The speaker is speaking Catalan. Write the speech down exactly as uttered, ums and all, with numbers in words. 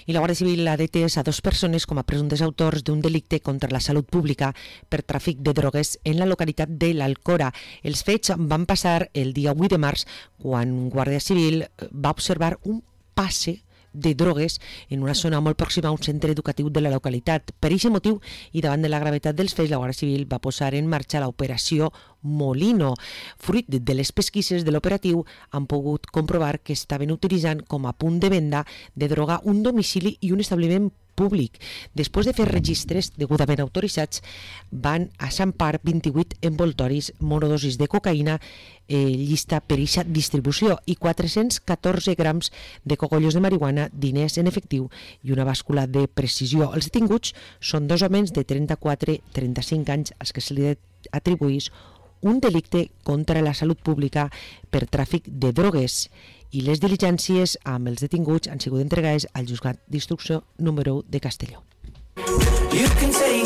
I la Guàrdia Civil ha detès a dos persones com a presumptes autors d'un delicte contra la salut pública per tràfic de drogues en la localitat de l'Alcora. Els fets van passar el dia vuit de març, quan Guàrdia Civil va observar un passe de drogues en una zona molt pròxima a un centre educatiu de la localitat. Per aquest motiu i davant de la gravetat dels fets, la Guàrdia Civil va posar en marxa l'operació Molino. Fruit de les pesquises de l'operatiu, han pogut comprovar que estaven utilitzant com a punt de venda de droga un domicili i un establiment públic. Després de fer registres degudament autoritzats, van assampar vint-i-vuit envoltoris monodosis de cocaïna eh, llista per eixa distribució i quatre-cents catorze grams de cogollos de marihuana, diners en efectiu i una bàscula de precisió. Els detinguts són dos homes de trenta-quatre i trenta-cinc anys als que se li atribuís un delicte contra la salut pública per tràfic de drogues, i les diligències amb els detinguts han sigut entregades al Juzgat d'Instrucció número u de Castelló. You can take